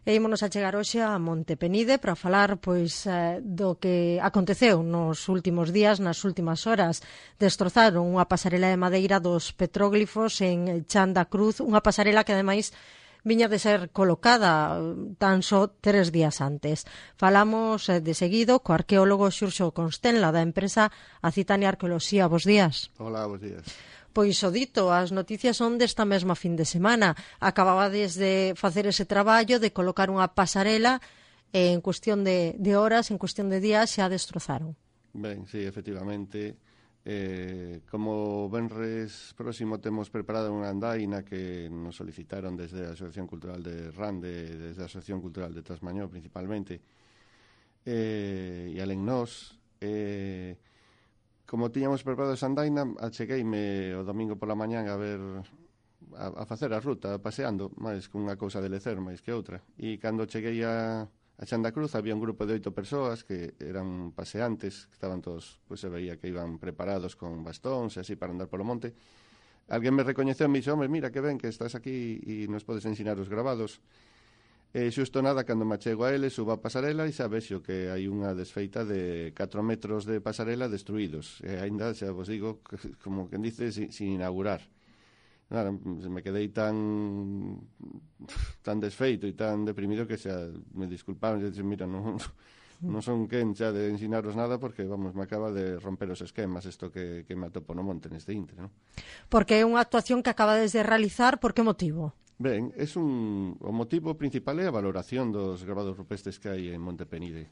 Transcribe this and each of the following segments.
E ímonos a chegar hoxe a Monte Penide para falar do que aconteceu nos últimos días, nas últimas horas. Destrozaron unha pasarela de madeira dos petróglifos en Chan da Cruz, unha pasarela que ademais viña de ser colocada tan só 3 días antes. Falamos de seguido co arqueólogo Xurxo Constenla da empresa Acitania Arqueoloxía. Bos días. Hola, bos días. Pois o dito, as noticias son desta mesma fin de semana. Acababades de facer ese traballo de colocar unha pasarela en cuestión de horas, en cuestión de días, xa destrozaron. Ben, sí, efectivamente. Como venres próximo temos preparada unha andaina que nos solicitaron desde a Asociación Cultural de Rande, desde a Asociación Cultural de Trasmañó principalmente, e alén nós, como tiñamos preparado esa andaina, achegueime o domingo pola mañán a facer a ruta, paseando, máis que unha cousa de lecer, máis que outra. E cando cheguei a Chan da Cruz había un grupo de 8 persoas que eran paseantes, que estaban todos, se veía que iban preparados con bastóns e así para andar polo monte. Alguén me recoñeceu e me dixo, home, mira que ben que estás aquí e nos podes ensinar os gravados. Xusto nada, cando me achego a eles, subo a pasarela e xa vexo que hai unha desfeita de 4 metros de pasarela destruídos. E ainda, xa vos digo, como quen dice, sin inaugurar. Nada, me quedei tan desfeito e tan deprimido que xa me disculparon e dixen, mira, non son quen xa de ensinaros nada porque, vamos, me acaba de romper os esquemas isto que me atopo no monte neste intre, non? Porque é unha actuación que acabades de realizar, por que motivo? Ben, o motivo principal é a valoración dos gravados rupestres que hai en Monte Penide.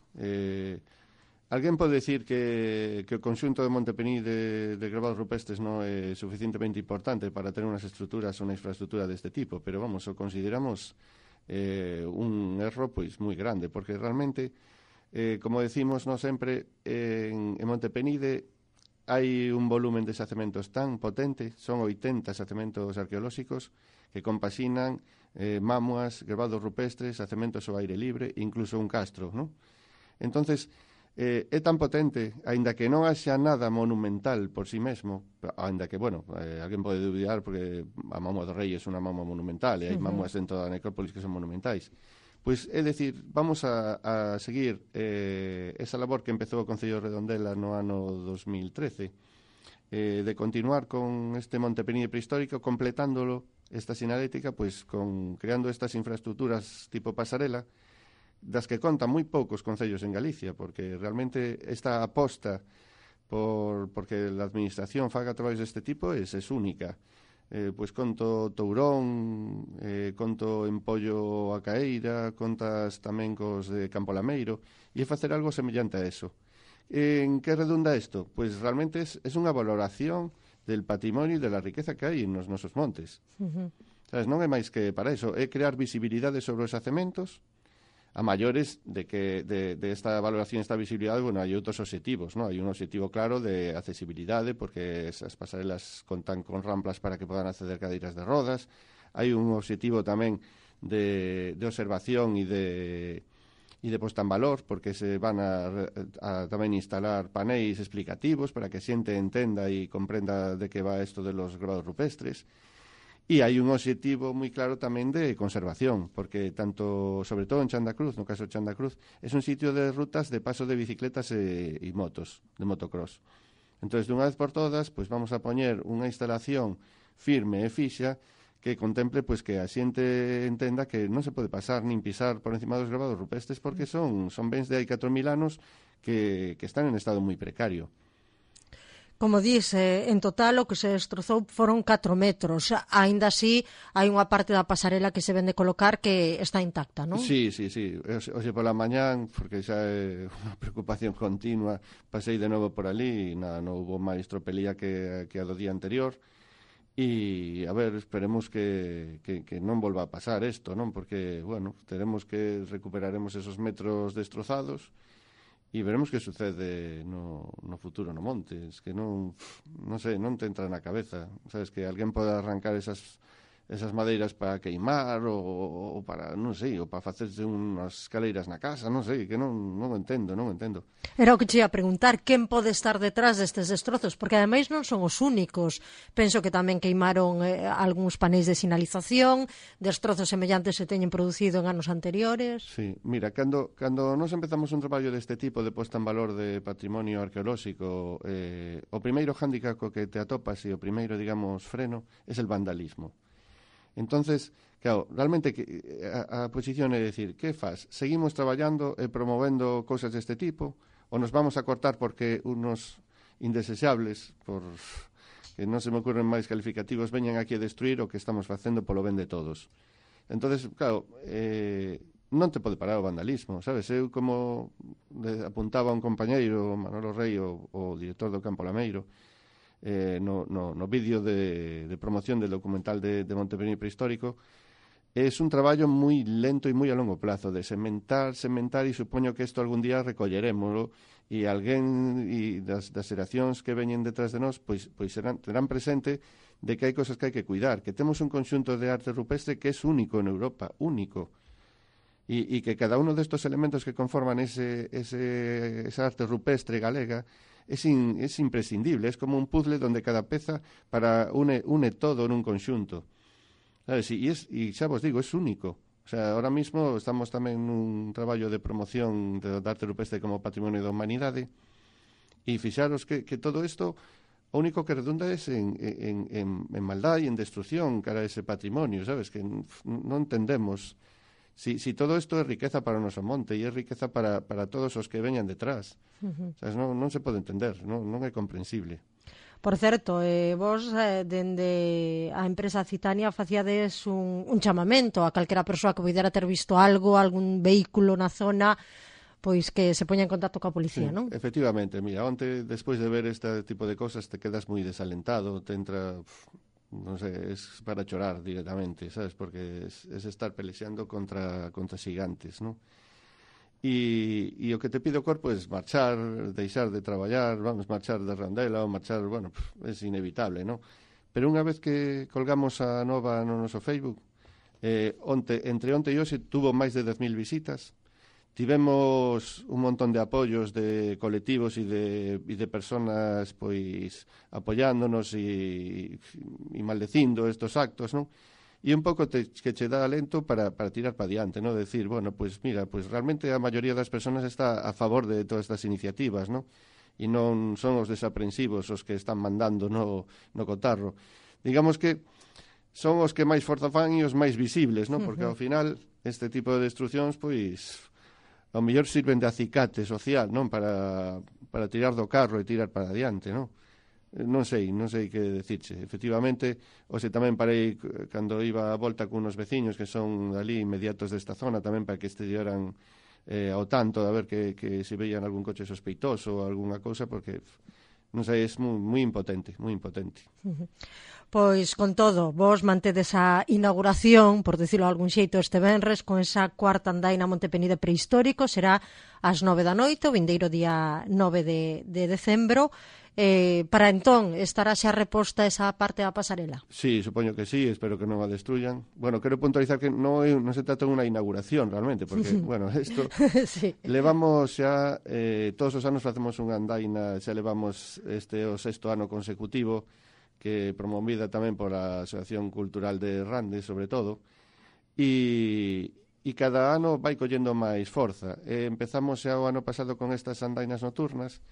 Alguén pode decir que o conxunto de Monte Penide de gravados rupestres non é suficientemente importante para ter unhas estruturas ou unha infraestructura deste tipo, pero vamos, o consideramos un erro pois moi grande, porque realmente, como decimos non sempre, en Monte Penide hai un volumen de xacementos tan potente, son 80 xacementos arqueolóxicos que compaxinan mámoas, gravados rupestres, xacementos ao aire libre, incluso un castro, non? Entonces, é tan potente, aínda que non haxa nada monumental por si mesmo, aínda que, bueno, alguén pode dubidar porque a Mámoa do Rei é unha mámoa monumental e hai mámoas dentro da necrópolis que son monumentais. Pois, é dicir, vamos a seguir esa labor que empezou o Concello de Redondela no ano 2013, de continuar con este Monte Penide prehistórico, completándolo, esta sinalética, pois, creando estas infraestructuras tipo pasarela, das que contan moi poucos concellos en Galicia, porque realmente esta aposta porque a administración faga traballos deste tipo é única. Pois conto Tourón, conto en Pollo a Caeira, contas tamén cos de Campo Lameiro, e é facer algo semellante a eso. En que redunda isto? Pois realmente é unha valoración del patrimonio e de la riqueza que hai nos nosos montes. Sabes, non é máis que para iso, é crear visibilidade sobre os xacementos, a maiores de esta valoración, esta visibilidade, bueno, hai outros obxectivos, non? Hai un obxectivo claro de accesibilidade, porque esas pasarelas contan con ramplas para que podan acceder cadeiras de rodas, hai un obxectivo tamén de observación e de posta en valor, porque se van a tamén instalar paneis explicativos para que a xente entenda e comprenda de que va isto de los grabados rupestres. E hai un obxectivo moi claro tamén de conservación, porque tanto, sobre todo en Chan da Cruz, no caso de Chan da Cruz, é un sitio de rutas de paso de bicicletas e motos, de motocross. Entón, dunha vez por todas, pois vamos a poñer unha instalación firme e fixa que contemple pois que a xente entenda que non se pode pasar nin pisar por encima dos gravados rupestres porque son bens de hai 4.000 anos que están en estado moi precario. Como dice, en total o que se destrozou foron 4 metros. Aínda así, hai unha parte da pasarela que se vende colocar que está intacta, non? Sí. Hoxe pola mañán, porque xa é unha preocupación continua, pasei de novo por ali e nada, non hubo máis tropelía que a do día anterior. E, a ver, esperemos que non volva a pasar isto, non? Porque, bueno, teremos que recuperaremos esos metros destrozados e veremos que sucede no futuro no monte. Es que non sei, non te entra na cabeza, sabes, que alguén poda arrancar esas esas madeiras para queimar ou para, non sei, ou para facerse unhas escaleiras na casa, non sei, que non entendo. Era o que te ia preguntar, quen pode estar detrás destes destrozos? Porque ademais non son os únicos. Penso que tamén queimaron algúns paneis de sinalización, destrozos semellantes se teñen producido en anos anteriores. Sí, mira, cando nos empezamos un traballo deste tipo de posta en valor de patrimonio arqueolóxico, o primeiro hándicap co que te atopas e o primeiro, digamos, freno é el vandalismo. Entonces, claro, realmente a posición é dicir, que faz? Seguimos traballando e promovendo cousas deste tipo ou nos vamos a cortar porque unos indeseables, por que non se me ocurren máis calificativos, veñan aquí a destruir o que estamos facendo polo ben de todos. Entonces, claro, non te pode parar o vandalismo, sabes? Eu, como apuntaba un compañeiro, Manolo Rei, o director do Campo Lameiro, no vídeo de promoción del documental de Montepenide prehistórico, es un traballo moi lento e moi a longo plazo, de sementar, e supoño que isto algún día recollerémoslo, e alguén das xeracións que veñen detrás de nós pois terán presente de que hai cosas que hai que cuidar, que temos un conxunto de arte rupestre que é único en Europa, único, e que cada uno destos elementos que conforman esa arte rupestre galega es imprescindible, es como un puzzle donde cada peza une todo en un conxunto, sabes? E xa vos digo, es único. O sea, ahora mismo estamos tamén nun traballo de promoción da arte rupestre como patrimonio da humanidade, e fixaros que todo isto o único que redunda é en maldad e en destrucción cara a ese patrimonio, sabes? Que non entendemos si todo isto é riqueza para o noso monte e é riqueza para todos os que veñan detrás. Sabes? Non se pode entender, non é comprensible. Por certo, vos dende a empresa Citania facíades un chamamento a calquera persoa que pudera ter visto algo, algún vehículo na zona, pois que se poña en contacto coa policía, Sí, non? Efectivamente, mira, onte, despois de ver este tipo de cosas, te quedas moi desalentado, te entra, non sei, es para chorar directamente, sabes? Porque es estar pelexando contra xigantes, non? E o que te pide o corpo é marchar, deixar de traballar, vamos, marchar de rondela ou marchar, bueno, é inevitable, non? Pero unha vez que colgamos a nova no noso Facebook, entre onte e hoxe tuvo máis de 10.000 visitas, tivemos un montón de apoios de colectivos e de personas pois apoiándonos e maldecindo estos actos, non? E un pouco que che dá alento para tirar para diante, ¿no? Decir, bueno, pues mira, pues realmente a maioría das persoas está a favor de todas estas iniciativas, ¿no? E non son os desaprensivos os que están mandando no cotarro. Digamos que son os que máis forza fan e os máis visibles, ¿no? Porque ao final este tipo de destruccións, pois, ao mellor sirven de acicate social, non? Para tirar do carro e tirar para diante, non? Non sei que decirche. Efectivamente, hoxe tamén parei cando iba a volta con unos veciños que son ali inmediatos desta zona tamén para que estiveran ao tanto de ver que se veían algún coche sospeitoso ou algunha cousa, porque non sei, é moi impotente, moi impotente. Pois, con todo, vos mantedes a inauguración, por decirlo de algún xeito, este venres, con esa cuarta andaina Montepenide prehistórico, será ás 9 da noite, o vindeiro día 9 de decembro. Para entón, estará xa reposta esa parte da pasarela? Sí, supoño que sí, espero que non a destruyan. Bueno, quero puntualizar que non se trata de unha inauguración realmente, porque, bueno, isto sí. Levamos xa, todos os anos facemos unha andaina, xa levamos o 6º ano consecutivo, que promovida tamén por a Asociación Cultural de Rande, sobre todo, e cada ano vai collendo máis forza. Empezamos xa o ano pasado con estas andainas nocturnas,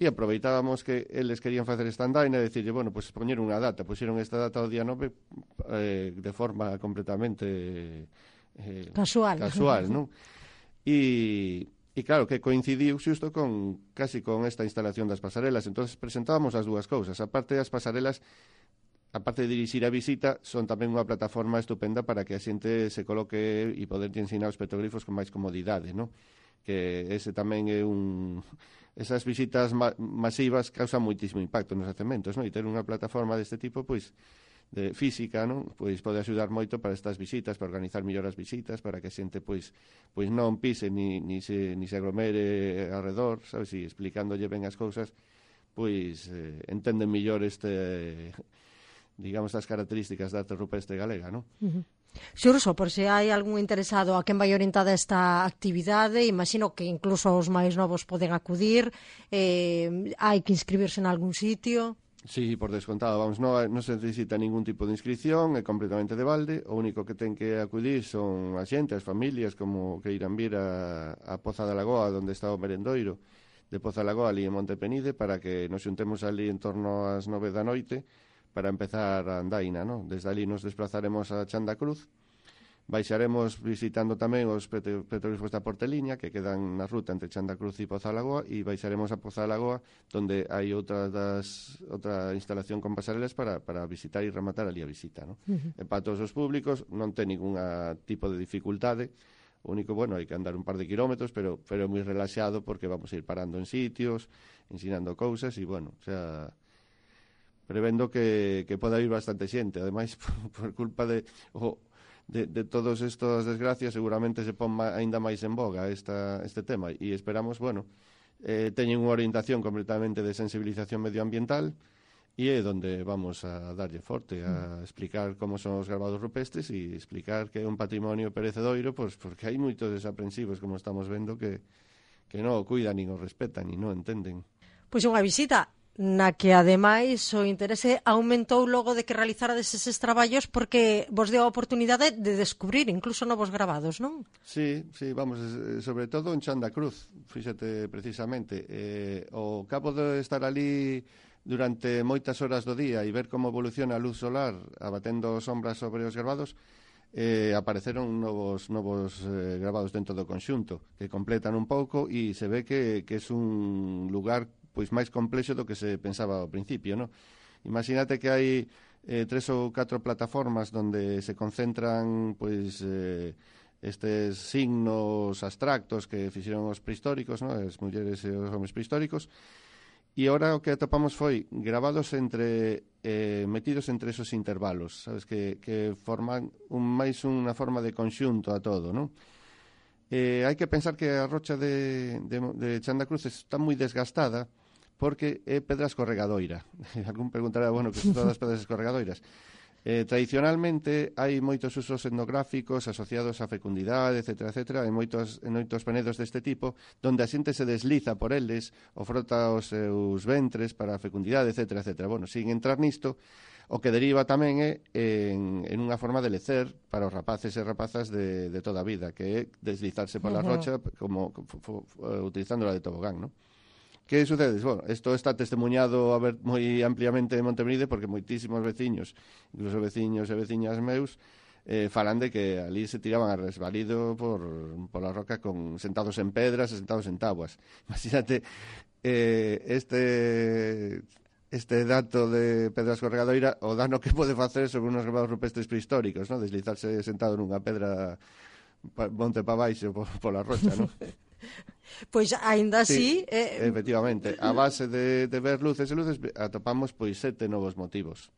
e aproveitábamos que eles querían facer esta andaina e dicirlle, bueno, pues poñer unha data, puxeron esta data o día 9 de forma completamente casual, non? E claro, que coincidiu xusto casi con esta instalación das pasarelas. Entonces presentábamos as dúas cousas. Aparte das pasarelas, aparte de dirixir a visita, son tamén unha plataforma estupenda para que a xente se coloque e poder ensinar os petroglifos con máis comodidade, non? Que ese tamén é esas visitas masivas causan moitísimo impacto nos cementos, non? E ter unha plataforma deste tipo, pois, de física, non? Pois pode axudar moito para estas visitas, para organizar mellor as visitas, para que a xente pois non pise ni se aglomere alrededor, sabes? E explicándolle ben as cousas, pois entenden mellor digamos, das características da arte rupestre galega, non? Xurso, por se hai algún interesado a quen vai orientada esta actividade, imagino que incluso os máis novos poden acudir, hai que inscribirse en algún sitio. Sí, por descontado, vamos, non se necesita ningún tipo de inscripción, é completamente de balde, o único que ten que acudir son a xente, as familias, como que irán vir a Poza da Lagoa, onde está o merendoiro de Poza da Lagoa, ali en Montepenide, para que nos xuntemos ali en torno ás 9 da noite, para empezar a andaina, non? Desde ali nos desplazaremos a Chan da Cruz, baixaremos visitando tamén os petróglifos da Porteliña, que quedan na ruta entre Chan da Cruz e Poza da Lagoa, e baixaremos a Poza da Lagoa, donde hai outra instalación con pasarelas para visitar e rematar ali a visita, non? E para todos os públicos non ten ningún tipo de dificultade, o único, bueno, hai que andar un par de kilómetros, pero é moi relaxado porque vamos a ir parando en sitios, ensinando cousas, e, bueno, o sea, prevendo que poda ir bastante xente. Ademais, por culpa de todas estas desgracias, seguramente se pon aínda máis en boga este tema, e esperamos, bueno, teñen unha orientación completamente de sensibilización medioambiental, e é onde vamos a darlle forte, a explicar como son os gravados rupestres e explicar que é un patrimonio perecedoiro, pois porque hai moitos desaprensivos, como estamos vendo, que non o cuidan, nin o respetan, nin non entenden. Pois unha visita na que, ademais, o interese aumentou logo de que realizarades eses traballos porque vos deu a oportunidade de descubrir incluso novos gravados, non? Sí, vamos, sobre todo en Chan da Cruz, fíxate precisamente. O cabo de estar ali durante moitas horas do día e ver como evoluciona a luz solar abatendo sombras sobre os gravados, apareceron novos gravados dentro do conxunto que completan un pouco e se ve que é un lugar pois máis complexo do que se pensaba ao principio, non? Imagínate que hai 3 ou 4 plataformas onde se concentran pois estes signos abstractos que fixeron os prehistóricos, non? As mulleres e os homes prehistóricos, e agora o que atopamos foi gravados metidos entre esos intervalos, sabes, que forman máis unha forma de conxunto a todo, non? Hai que pensar que a rocha de Chan da Cruz está moi desgastada porque é pedra escorregadoira. Algún preguntará, bueno, que son todas pedras escorregadoiras. Tradicionalmente hai moitos usos etnográficos asociados á fecundidade, etc., en moitos penedos deste tipo, donde a xente se desliza por eles, o frota os seus ventres para a fecundidade, etc. Bueno, sin entrar nisto, o que deriva tamén é en unha forma de lecer para os rapaces e rapazas de toda a vida, que é deslizarse pola rocha como utilizándola de tobogán, non? Que sucede? Bueno, isto está testemunhado moi ampliamente en Montepenide porque moitísimos veciños, incluso veciños e veciñas meus, falan de que ali se tiraban a resvalido pola roca sentados en pedras e sentados en tabuas. Imagínate este dato de pedra escorregadoira, o dano que pode facer sobre unos gravados rupestres prehistóricos, ¿no? Deslizarse sentado nunha pedra monte pa baixo pola rocha, non? Pois aínda así... Efectivamente, a base de ver luces e luces atopamos pois 7 novos motivos.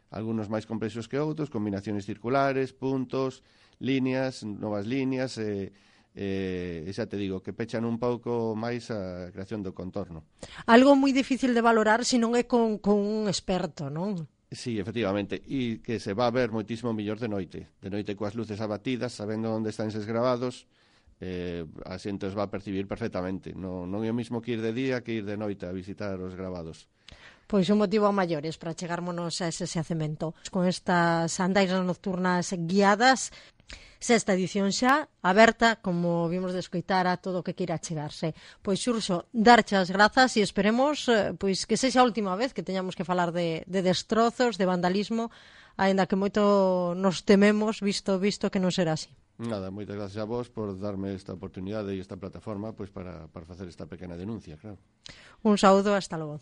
Algunos máis complexos que outros, combinaciones circulares, puntos, líneas, novas líneas, xa te digo, que pechan un pouco máis a creación do contorno. Algo moi difícil de valorar se non é con un experto, non? Sí, efectivamente, e que se va a ver moitísimo mellor de noite coas luces abatidas, sabendo onde están eses gravados, a xente os va a percibir perfectamente. Non é o mismo que ir de día que ir de noite a visitar os gravados. Pois un motivo a maiores para chegarmonos a ese xacemento. Con estas andairas nocturnas guiadas, sexta edición xa, aberta, como vimos de escoitar, a todo o que queira chegarse. Pois, Xurxo, darche as grazas e esperemos pois que sexa a última vez que teñamos que falar de destrozos, de vandalismo, aínda que moito nos tememos, visto que non será así. Nada, moitas gracias a vos por darme esta oportunidade e esta plataforma pois para facer esta pequena denuncia, claro. Un saúdo, hasta logo.